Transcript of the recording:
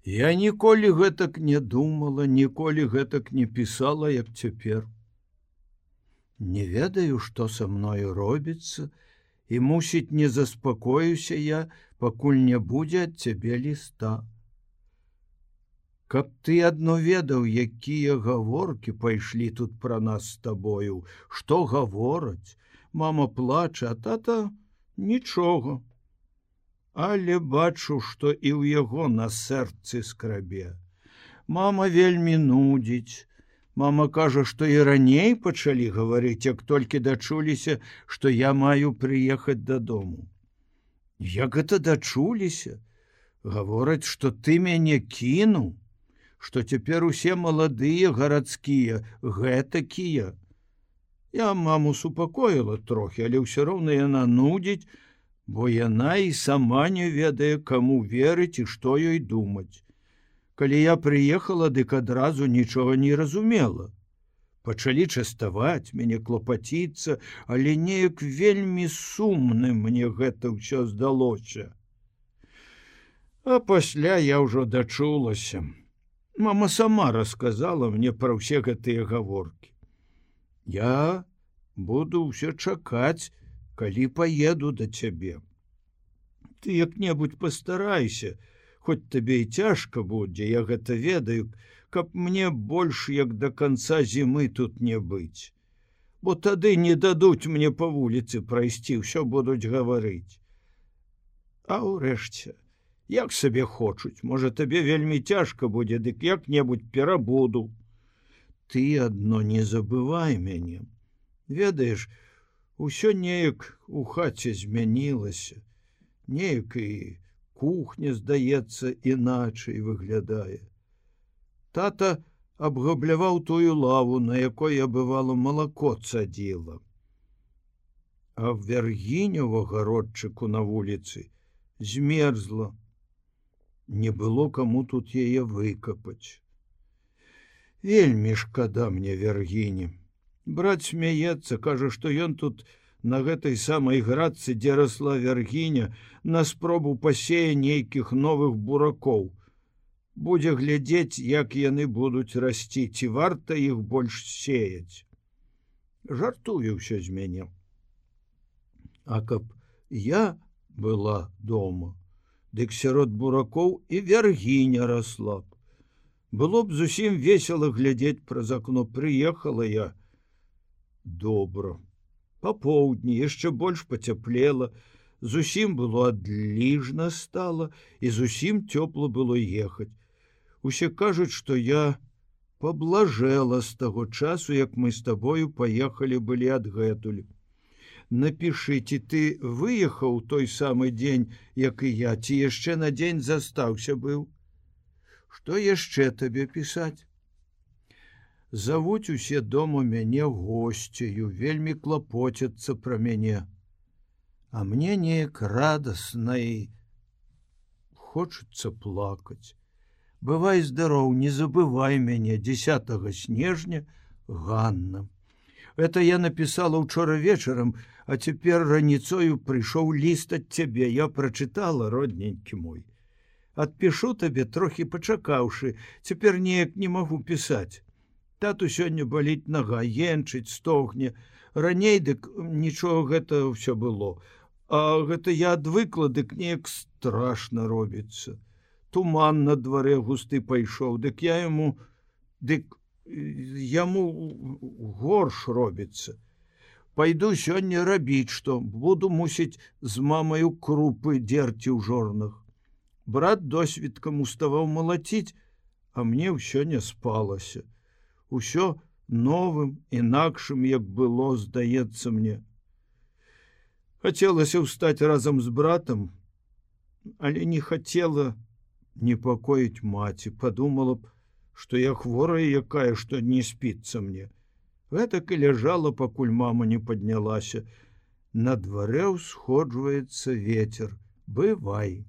Я ніколі гэтак не думала, ніколі гэтак не пісала, як цяпер. Не ведаю, што са мною робіцца, і, мусіць, не заспакоюся я, пакуль не будзе ад цябе ліста. Каб ты адно ведаў, якія гаворкі пайшлі тут пра нас з табою, што гавораць, мама плача, а тата нічога. Але бачу, што і ў яго на сэрцы скрабе. Мама вельмі нудзіць. Мама кажа, што і раней пачалі гаварыць, як толькі дачуліся, што я маю прыехаць дадому. Як гэта дачуліся? Гавораць, што ты мяне кінуў, што цяпер усе маладыя гарадскія, гэтакія. Я маму супакоіла трохі, але ўсё роўна яна нудзіць, бо яна і сама не ведае, каму верыць і што ёй думаць. Калі я прыехала, дык адразу нічога не разумела. Пачалі частаваць, мяне клапаціцца, але неяк вельмі сумным мне гэта ўсё здалося. А пасля я ўжо дачулася. Мама сама расказала мне пра ўсе гэтыя гаворкі. Я буду ўсё чакаць, калі паеду да цябе. Ты як-небудзь пастарайся, хоць табе і цяжка будзе, я гэта ведаю, каб мне больш як да канца зімы тут не быць. Бо тады не дадуць мне па вуліцы прайсці, ўсё будуць гаварыць. А ўрэшце, як сабе хочуць, можа, табе вельмі цяжка будзе, дык як-небудзь перабуду. Ты адно не забывай мяне. Ведаеш, усё неяк у хаце змянілася, неяк і кухня, здаецца, іначай выглядае. Тата абгабляваў тую лаву, на якой я, бывала, малако цадзіла. А Вяргіня ў агародчыку на вуліцы змерзла. Не было каму тут яе выкапаць. Вельмі шкада мне Вяргіні. Брат смяецца, кажа, што ён тут на гэтай самай градцы, дзе расла Вяргіня, на спробу пасея нейкіх новых буракоў. Будзе глядзець, як яны будуць расці, ці варта іх больш сеяць. Жартуе ўсё з мяне. А каб я была дома, дык сярод буракоў і Вяргіня расла б. Было б зусім весела глядзець праз акно. Прыехала я. Добра. Па поўдні яшчэ больш пацяплела, зусім было адліжна стала, і зусім цёпла было ехаць. Усе кажуць, што я паблажэла з таго часу, як мы з табою паехалі былі адгэтуль. Напішы, ці ты выехаў той самы дзень, як і я, ці яшчэ на дзень застаўся быў. Што яшчэ табе пісаць? Завуць усе дома мяне госцею, вельмі клапоцяцца пра мяне. А мне неяк радасна і хочацца плакаць. Бывай здароў, не забывай мяне, 10 снежня, Ганна. Это я напісала ўчора вечарам, а цяпер раніцою прыйшоў ліст ад цябе. Я прачытала, родненькі мой. Адпішу табе, трохі пачакаўшы, цяпер неяк не магу пісаць. Тату сёння баліць нага, енчыць, стогне. Раней дык нічога гэта ўсё было. А гэта я адвыкла, дык неяк страшна робіцца. Туман на дварэ густы пайшоў, дык яму горш робіцца. Пайду сёння рабіць што, буду, мусіць, з мамаю крупы дзерці ў жорнах. Брат досвідкам уставаў малаціць, а мне ўсё не спалася. Усё новым, інакшым, як было, здаецца мне. Хацелася ўстаць разам з братам, але не хацела непакоіць маці. Падумала б, што я хворая якая, што не спіцца мне. Гэтак і ляжала, пакуль мама не паднялася. На дварэ ўсходжваецца вецер. Бывай.